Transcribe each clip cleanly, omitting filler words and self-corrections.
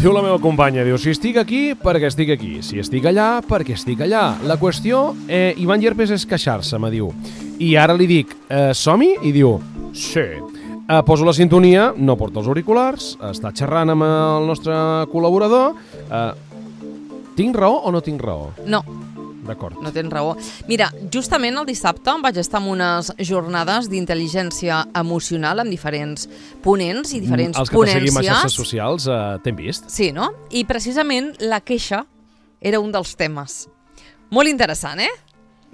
Diu la meva companya, diu, si estic aquí, perquè estic aquí. Si estic allà, perquè estic allà. La qüestió, Ivan Llerpes, és queixar-se, me diu. I ara li dic, som-hi? I diu, sí. Poso la sintonia, no porta els auriculars, està xerrant amb el nostre col·laborador. Tinc raó o no tinc raó? No. D'acord. No tens raó. Mira, justament el dissabte vaig estar en unes jornades d'intel·ligència emocional amb diferents ponents i diferents ponències. Els que ponències. te seguim a xarxes socials t'hem vist. Sí, no? I precisament la queixa era un dels temes. Molt interessant,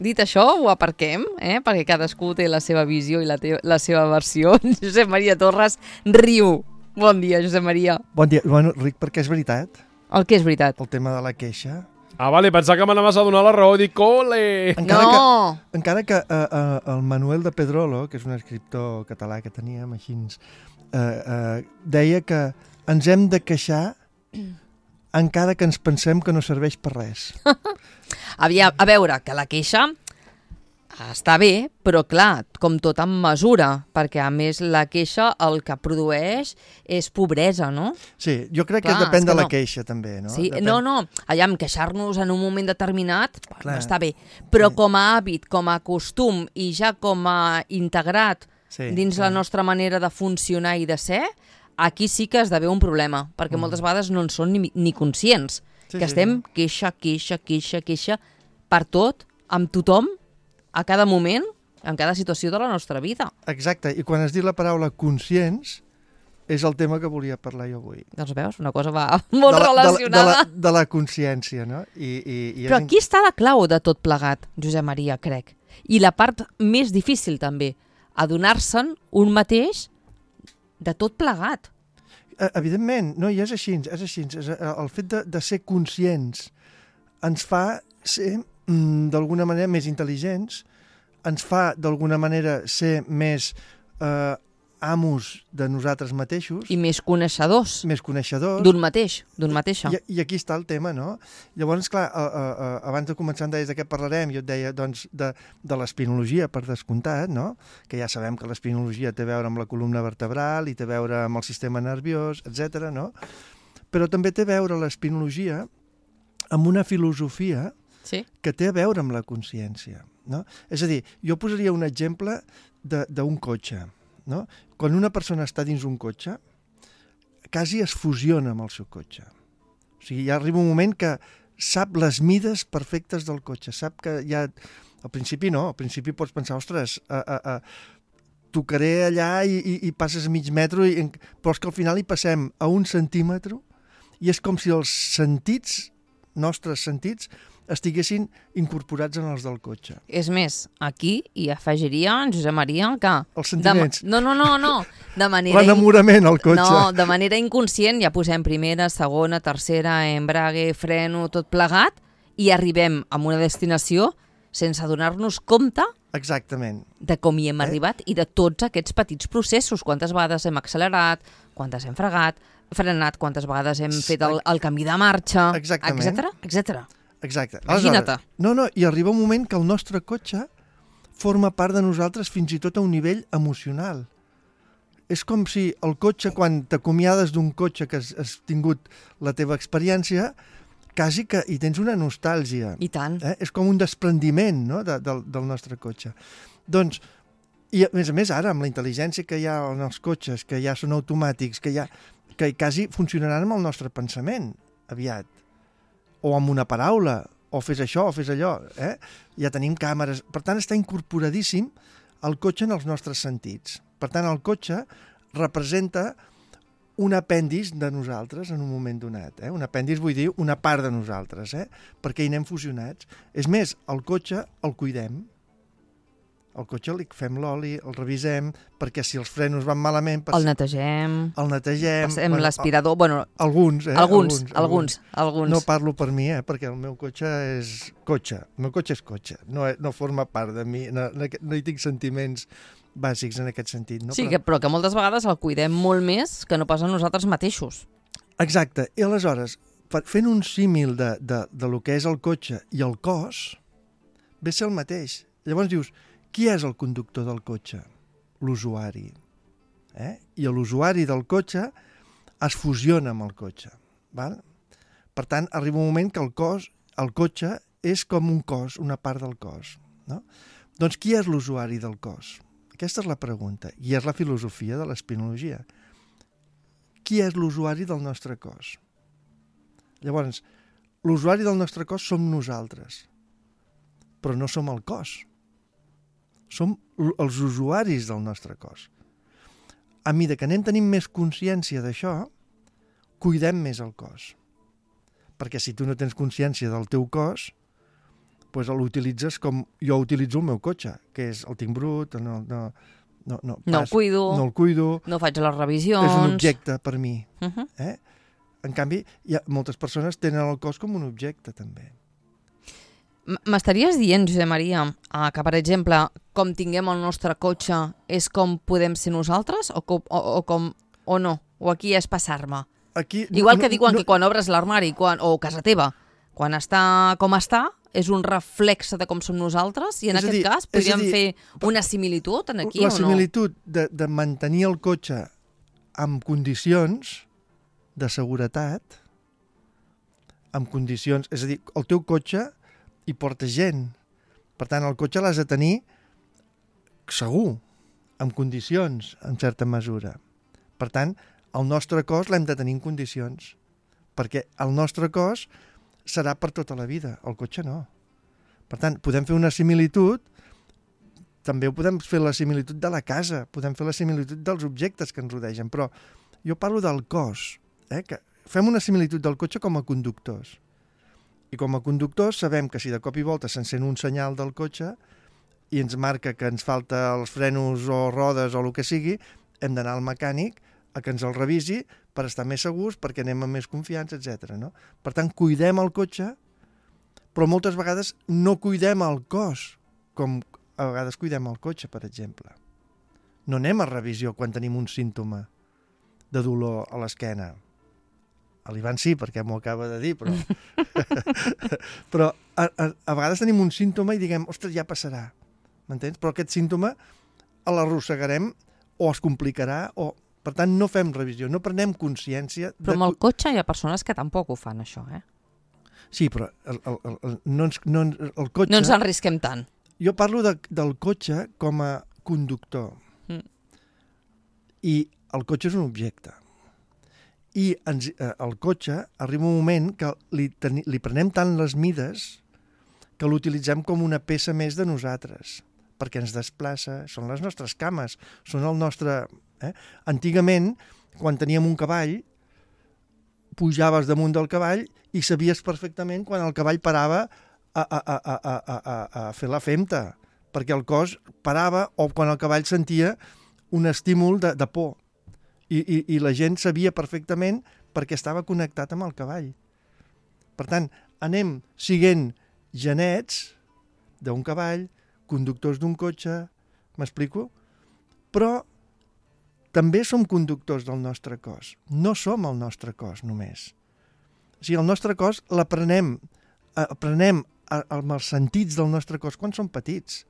Dit això, ho aparquem, perquè cadascú té la seva visió i la seva versió. Josep Maria Torres riu. Bon dia, Josep Maria. Bon dia. Bueno, Ric, perquè és veritat. El que és veritat? El tema de la queixa. Vale, pensava que m'anaves a donar la raó. Dic, ole! Encara que el Manuel de Pedrolo, que és un escriptor català que teníem així, deia que ens hem de queixar encara que ens pensem que no serveix per res. A veure, que la queixa està bé, però clar, com tot amb mesura, perquè a més la queixa el que produeix és pobresa, no? Sí, jo crec que depèn de la queixa també, no? Sí, no, allà amb queixar-nos en un moment determinat està bé, però com a hàbit, com a costum i ja com a integrat dins la nostra manera de funcionar i de ser, aquí sí que esdevé un problema, perquè moltes vegades no en són ni conscients, que estem queixa per tot, amb tothom, a cada moment, en cada situació de la nostra vida. Exacte, i quan has dit la paraula conscients, és el tema que volia parlar jo avui. Doncs veus, una cosa va molt relacionada. De la consciència, no? Però aquí està la clau de tot plegat, Josep Maria, crec. I la part més difícil també, adonar-se'n un mateix de tot plegat. Evidentment, no, i és així. El fet de ser conscients ens fa ser d'alguna manera més intel·ligents, ens fa d'alguna manera ser més amos de nosaltres mateixos. I més coneixedors. D'un mateixa. I aquí està el tema, no? Llavors, clar, abans de començar em deies de què parlarem, jo et deia doncs, de l'espinologia, per descomptat, no? Que ja sabem que l'espinologia té a veure amb la columna vertebral i té a veure amb el sistema nerviós, etc., no? Però també té a veure l'espinologia amb una filosofia que té a veure amb la consciència, no? És a dir, jo posaria un exemple d'un cotxe, no? Quan una persona està dins un cotxe, quasi es fusiona amb el seu cotxe. O sigui, ja arriba un moment que sap les mides perfectes del cotxe, sap que ja... Al principi no, al principi pots pensar, ostres, tocaré allà i passes a mig metro, però és que al final hi passem a 1 centímetre i és com si els sentits, nostres sentits, estiguessin incorporats en els del cotxe. És més, aquí hi afegiria en Josep Maria que... Els sentiments. No. De manera... L'enamorament al cotxe. No, de manera inconscient ja posem primera, segona, tercera, embrague, freno, tot plegat, i arribem a una destinació sense adonar-nos compte de com hi hem arribat i de tots aquests petits processos. Quantes vegades hem accelerat, quantes hem frenat, quantes vegades hem fet el canvi de marxa, etc. Exacte. Imagina't. No, i arriba un moment que el nostre cotxe forma part de nosaltres fins i tot a un nivell emocional. És com si el cotxe, quan t'acomiades d'un cotxe que has tingut la teva experiència, quasi que hi tens una nostàlgia. I tant. És com un desprendiment, no?, del nostre cotxe. Doncs, i a més ara, amb la intel·ligència que hi ha en els cotxes, que ja són automàtics, que quasi funcionaran amb el nostre pensament, aviat. O amb una paraula, o fes això, o fes allò. Ja tenim càmeres. Per tant, està incorporadíssim el cotxe en els nostres sentits. Per tant, el cotxe representa un apèndix de nosaltres en un moment donat. Un apèndix vull dir una part de nosaltres, perquè hi anem fusionats. És més, el cotxe el cuidem. Al cotxe li fem l'oli, el revisem, perquè si els frenos van malament... El netegem. Passem l'aspirador... Alguns. Alguns. No parlo per mi, perquè el meu cotxe és cotxe. El meu cotxe és cotxe. No forma part de mi. No hi tinc sentiments bàsics en aquest sentit. No? Sí, però que moltes vegades el cuidem molt més que no pas a nosaltres mateixos. Exacte. I aleshores, fent un símil de lo que és el cotxe i el cos, ve a ser el mateix. Llavors dius... Qui és el conductor del cotxe? L'usuari. I l'usuari del cotxe es fusiona amb el cotxe. Val? Per tant, arriba un moment que el cotxe és com un cos, una part del cos. No? Doncs qui és l'usuari del cos? Aquesta és la pregunta, i és la filosofia de l'espinologia. Qui és l'usuari del nostre cos? Llavors, l'usuari del nostre cos som nosaltres, però no som el cos. Som els usuaris del nostre cos. A mesura que anem tenint més consciència d'això, cuidem més el cos. Perquè si tu no tens consciència del teu cos, doncs l'utilitzes com jo utilitzo el meu cotxe, que és el tinc brut, no el cuido, no faig les revisions. És un objecte per mi. En canvi, moltes persones tenen el cos com un objecte, també. M'estaries dient, Josep Maria, que, per exemple, com tinguem el nostre cotxe és com podem ser nosaltres o no? O aquí és passar-me? Igual que diuen que quan obres l'armari o casa teva, quan està com està, és un reflex de com som nosaltres i en aquest cas podríem fer una similitud aquí o no? La similitud de mantenir el cotxe en condicions de seguretat, en condicions... És a dir, el teu cotxe hi porta gent. Per tant, el cotxe l'has de tenir segur, en condicions, en certa mesura. Per tant, el nostre cos l'hem de tenir en condicions, perquè el nostre cos serà per tota la vida, el cotxe no. Per tant, podem fer una similitud, també podem fer la similitud de la casa, podem fer la similitud dels objectes que ens rodegen, però jo parlo del cos, que fem una similitud del cotxe com a conductors. I com a conductors sabem que si de cop i volta s'encén un senyal del cotxe i ens marca que ens falta els frenos o rodes o el que sigui, hem d'anar al mecànic a que ens el revisi per estar més segurs, perquè anem amb més confiança, etc. No? Per tant, cuidem el cotxe, però moltes vegades no cuidem el cos, com a vegades cuidem el cotxe, per exemple. No anem a revisió quan tenim un símptoma de dolor a l'esquena. A l'Ivan sí, perquè m'ho acaba de dir, però... però a vegades tenim un símptoma i diguem, ostres, ja passarà, m'entens? Però aquest símptoma l'arrossegarem o es complicarà o... Per tant, no fem revisió, no prenem consciència... Però amb el cotxe hi ha persones que tampoc ho fan, això, Sí, però el cotxe... No ens arrisquem tant. Jo parlo del cotxe com a conductor. I el cotxe és un objecte. I el cotxe arriba un moment que li prenem tant les mides que l'utilitzem com una peça més de nosaltres, perquè ens desplaça, són les nostres cames, són el nostre... Antigament, quan teníem un cavall, pujaves damunt del cavall i sabies perfectament quan el cavall parava a fer la femta, perquè el cos parava o quan el cavall sentia un estímul de por. I la gent sabia perfectament perquè estava connectat amb el cavall. Per tant, anem siguent genets d'un cavall, conductors d'un cotxe, m'explico? Però també som conductors del nostre cos. No som el nostre cos només. O sigui, el nostre cos l'aprenem amb els sentits del nostre cos quan som petits.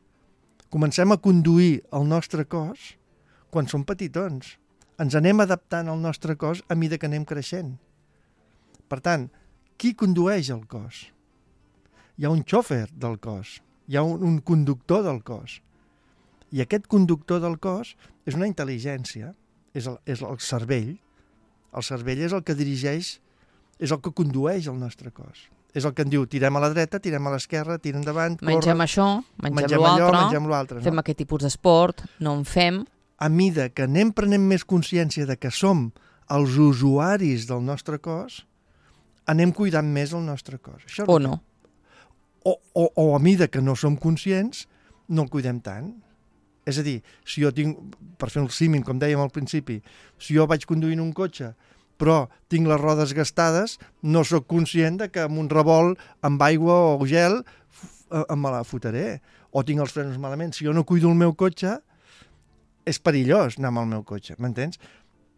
Comencem a conduir el nostre cos quan som petitons. Ens anem adaptant al nostre cos a mesura que anem creixent. Per tant, qui condueix el cos? Hi ha un xòfer del cos, hi ha un conductor del cos. I aquest conductor del cos és una intel·ligència, és el cervell. El cervell és el que dirigeix, és el que condueix el nostre cos. És el que en diu, tirem a la dreta, tirem a l'esquerra, tirem endavant, corre... Mengem això, mengem l'altre, fem aquest tipus d'esport, no en fem... A mida que anem prenent més consciència de que som els usuaris del nostre cos, anem cuidant més el nostre cos. Això o no. O a mida que no som conscients, no el cuidem tant. És a dir, si jo tinc, per fer el símil, com dèiem al principi, si jo vaig conduint un cotxe, però tinc les rodes gastades, no sóc conscient de que amb un revolt amb aigua o gel me la fotré. O tinc els frenos malament. Si jo no cuido el meu cotxe, és perillós anar amb el meu cotxe, m'entens?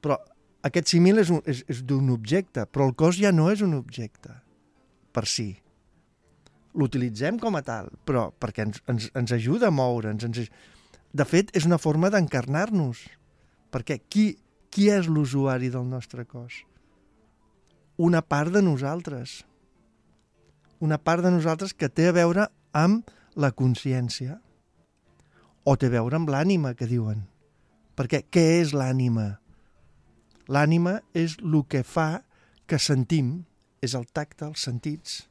Però aquest símil és d'un objecte, però el cos ja no és un objecte per si. L'utilitzem com a tal, però perquè ens ajuda a moure'ns. De fet, és una forma d'encarnar-nos. Perquè qui és l'usuari del nostre cos? una part de nosaltres. Una part de nosaltres que té a veure amb la consciència. O té a veure amb l'ànima, que diuen. Perquè què és l'ànima? L'ànima és el que fa que sentim, és el tacte, els sentits.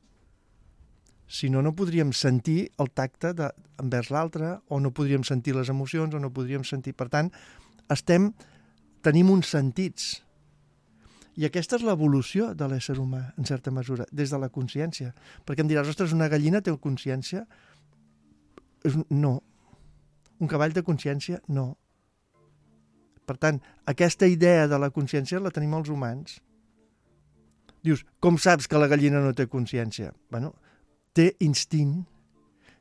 Si no, no podríem sentir el tacte envers l'altre, o no podríem sentir les emocions, o no podríem sentir... Per tant, tenim uns sentits. I aquesta és l'evolució de l'ésser humà, en certa mesura, des de la consciència. Perquè em diràs, ostres, una gallina té consciència? No. Un cavall de consciència? No. Per tant, aquesta idea de la consciència la tenim els humans. Dius, com saps que la gallina no té consciència? Bueno, té instint,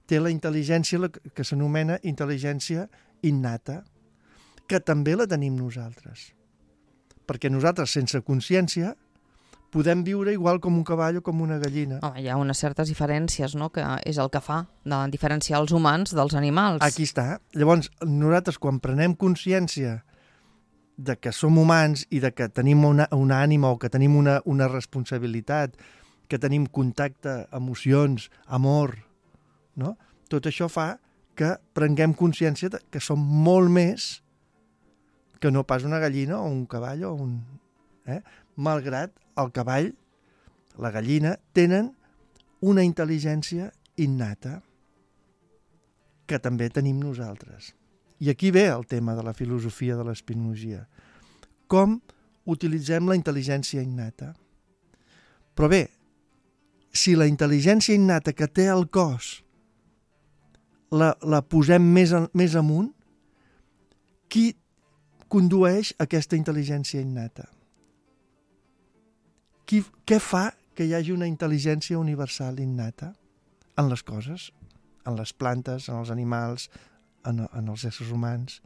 té la intel·ligència que s'anomena intel·ligència innata, que també la tenim nosaltres. Perquè nosaltres, sense consciència, podem viure igual com un cavall o com una gallina. Home, hi ha unes certes diferències, no?, que és el que fa de diferenciar els humans dels animals. Aquí està. Llavors, nosaltres, quan prenem consciència de que som humans i de que tenim una ànima o que tenim una responsabilitat, que tenim contacte, emocions, amor, no? Tot això fa que prenguem consciència que som molt més que no pas una gallina o un cavall o un... Malgrat el cavall, la gallina, tenen una intel·ligència innata que també tenim nosaltres. I aquí ve el tema de la filosofia de l'espinologia. Com utilitzem la intel·ligència innata? Però bé, si la intel·ligència innata que té el cos la posem més amunt, qui condueix aquesta intel·ligència innata? Què fa que hi hagi una intel·ligència universal innata en les coses, en les plantes, en els animals, en els éssers humans?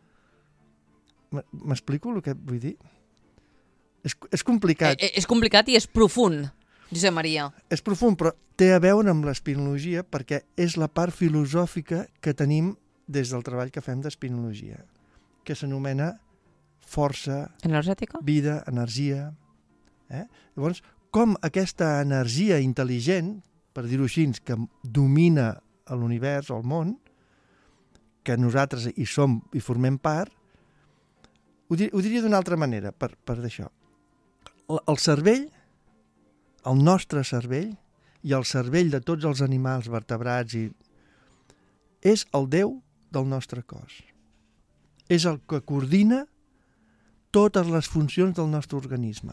M'explico el que vull dir? És complicat. És complicat i és profund, Josep Maria. És profund, però té a veure amb l'espinologia perquè és la part filosòfica que tenim des del treball que fem d'espinologia, que s'anomena força, energètica, vida, energia. Llavors, com aquesta energia intel·ligent, per dir-ho així, que domina l'univers o el món, que nosaltres hi som i formem part, ho diria d'una altra manera, per d'això. El cervell, el nostre cervell, i el cervell de tots els animals vertebrats, és el Déu del nostre cos. És el que coordina totes les funcions del nostre organisme.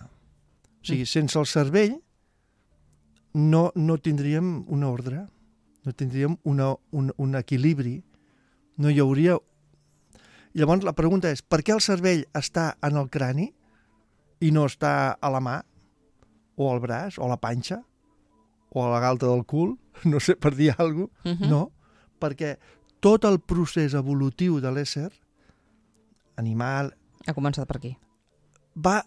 O sigui, sense el cervell no tindríem un ordre, no tindríem un equilibri, no hi hauria... Llavors la pregunta és, per què el cervell està en el crani i no està a la mà, o al braç, o a la panxa, o a la galta del cul, no sé, per dir alguna cosa? No, perquè tot el procés evolutiu de l'ésser animal... Ha començat per aquí. Va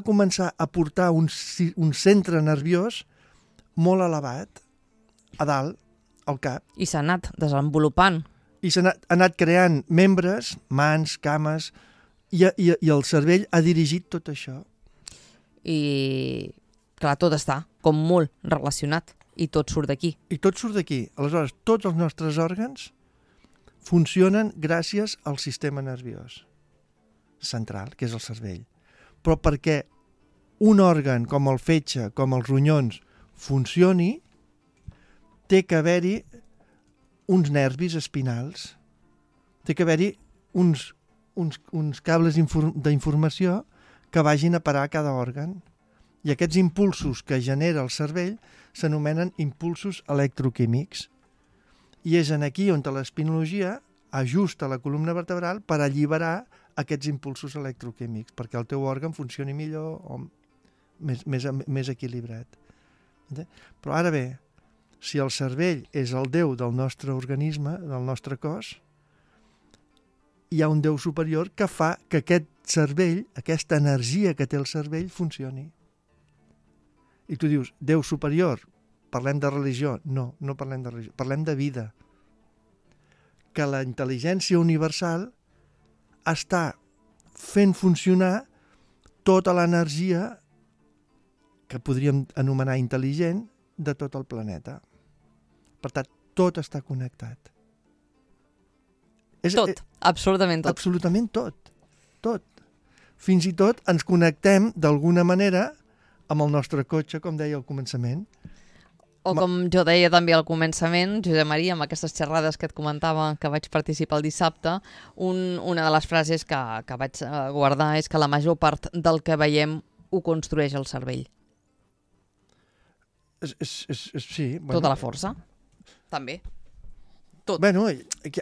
començar a portar un centre nerviós molt elevat, a dalt, al cap. I s'ha anat desenvolupant. I s'ha anat creant membres, mans, cames, i el cervell ha dirigit tot això. I, clar, tot està com molt relacionat, i tot surt d'aquí. I tot surt d'aquí. Aleshores, tots els nostres òrgans funcionen gràcies al sistema nerviós central, que és el cervell. Però perquè un òrgan com el fetge, com els ronyons, funcioni, té que haver-hi uns nervis espinals, té que haver-hi uns cables d'informació que vagin a parar a cada òrgan. I aquests impulsos que genera el cervell s'anomenen impulsos electroquímics. I és aquí on l'espinologia ajusta la columna vertebral per alliberar aquests impulsos electroquímics, perquè el teu òrgan funcioni millor o més equilibrat. Però ara bé, si el cervell és el Déu del nostre organisme, del nostre cos, hi ha un Déu superior que fa que aquest cervell, aquesta energia que té el cervell, funcioni. I tu dius, Déu superior, parlem de religió? No, no parlem de religió, parlem de vida. Que la intel·ligència universal està fent funcionar tota l'energia que podríem anomenar intel·ligent de tot el planeta. Per tant, tot està connectat. Tot, absolutament tot. Absolutament tot. Fins i tot ens connectem d'alguna manera amb el nostre cotxe, com deia al començament. O com jo deia també al començament, Josep Maria, amb aquestes xerrades que et comentava que vaig participar el dissabte, una de les frases que vaig guardar és que la major part del que veiem ho construeix el cervell. Sí. Bueno, tota la força, també. Tot. Bueno,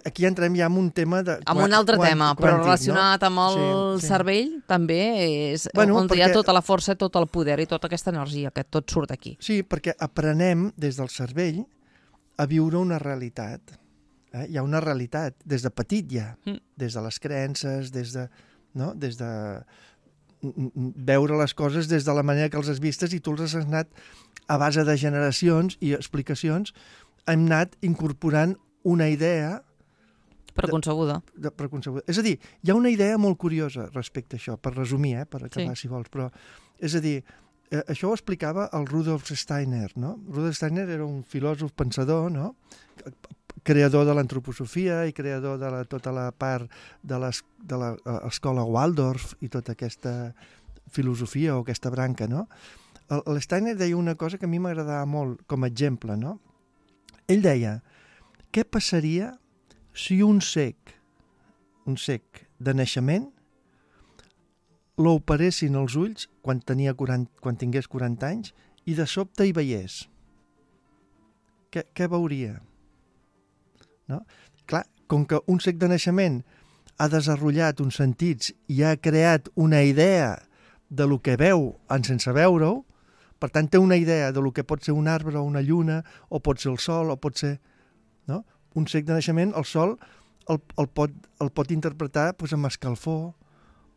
aquí entrem ja en un tema de... Amb un altre tema, però relacionat amb el cervell també és on hi ha tota la força, tot el poder i tota aquesta energia, que tot surt aquí. Sí, perquè aprenem des del cervell a viure una realitat. Hi ha una realitat, des de petit ja, des de les creences, des de veure les coses des de la manera que els has vistes, i tu els has anat, a base de generacions i explicacions, hem anat incorporant una idea preconcebuda. És a dir, hi ha una idea molt curiosa respecte a això, per resumir, per acabar, si vols, però és a dir, això ho explicava el Rudolf Steiner, no? Rudolf Steiner era un filòsof pensador, no? Creador de l'antroposofia i creador de tota la part de l'escola Waldorf i tota aquesta filosofia o aquesta branca, no? El Steiner deia una cosa que a mi m'agradava molt com a exemple, no? Ell deia: què passaria si un cec de naixement l'operessin els ulls quan tingués 40 anys i de sobte hi veiés? Què veuria? No? Clar, com que un cec de naixement ha desenvolupat uns sentits i ha creat una idea de lo que veu sense veure-ho, per tant té una idea de lo que pot ser un arbre o una lluna, o pot ser el sol, o pot ser... No? Un cec de naixement, el sol el pot interpretar amb escalfor,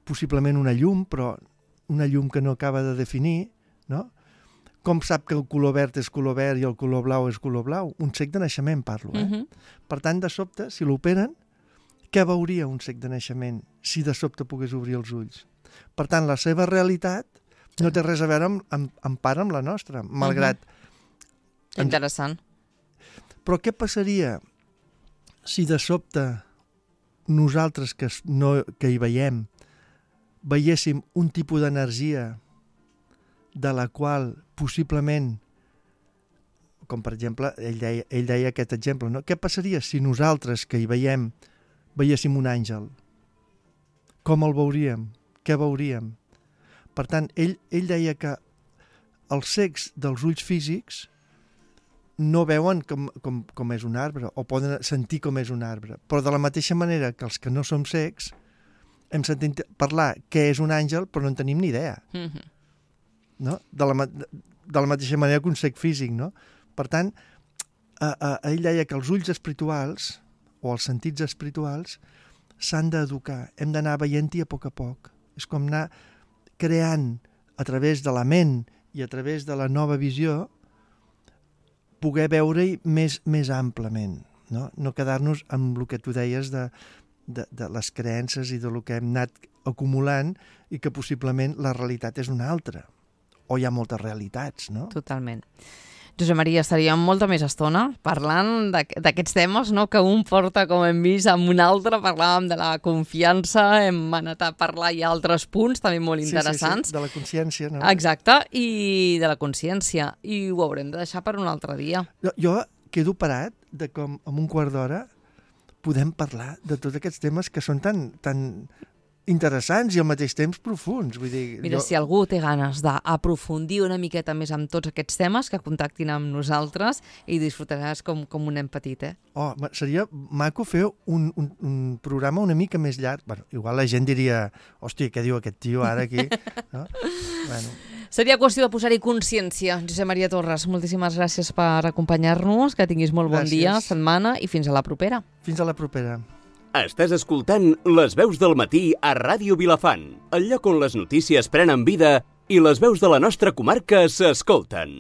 possiblement una llum, però una llum que no acaba de definir, no? Com sap que el color verd és color verd i el color blau és color blau? Un cec de naixement parlo, Per tant, de sobte, si l'operen, què veuria un cec de naixement si de sobte pogués obrir els ulls? Per tant, la seva realitat no té res a veure amb part amb la nostra, malgrat... Interessant. Però què passaria si de sobte nosaltres que hi veiéssim un tipus d'energia de la qual possiblement, com per exemple, ell deia aquest exemple, no? Què passaria si nosaltres que hi veiéssim un àngel? Com el veuríem? Què veuríem? Per tant, ell deia que els cecs dels ulls físics no veuen com és un arbre, o poden sentir com és un arbre, però de la mateixa manera que els que no som cecs hem sentit parlar què és un àngel, però no en tenim ni idea. No? De la mateixa manera que un cec físic, no? Per tant, ell deia que els ulls espirituals, o els sentits espirituals, s'han d'educar, hem d'anar veient-hi a poc. És com anar creant a través de la ment i a través de la nova visió, poder veure-hi més amplament, no quedar-nos amb el que tu deies de les creences i del que hem anat acumulant i que possiblement la realitat és una altra, o hi ha moltes realitats, no? Totalment. Josep Maria, estaríem molta més estona parlant d'aquests temes, no? Que un porta, com hem vist, amb un altre. Parlàvem de la confiança, hem anat a parlar i altres punts també molt interessants. Sí, de la consciència, no? Exacte, i de la consciència. I ho haurem de deixar per un altre dia. Jo quedo parat de com en un quart d'hora podem parlar de tots aquests temes que són tan interessants i al mateix temps profuns. Vull dir, mira, si algú té ganes d'aprofundir una miqueta més amb tots aquests temes, que contactin amb nosaltres i disfrutaràs com un nen petit, seria maco fer un programa una mica més llarg. Bueno, igual la gent diria, hòstia, què diu aquest tio ara aquí? No? Bueno. Seria qüestió de posar-hi consciència. Josep Maria Torres, moltíssimes gràcies per acompanyar-nos, que tinguis molt bon dia, setmana, i fins a la propera. Fins a la propera. Estàs escoltant Les veus del matí a Ràdio Vilafant, el lloc on les notícies prenen vida i les veus de la nostra comarca s'escolten.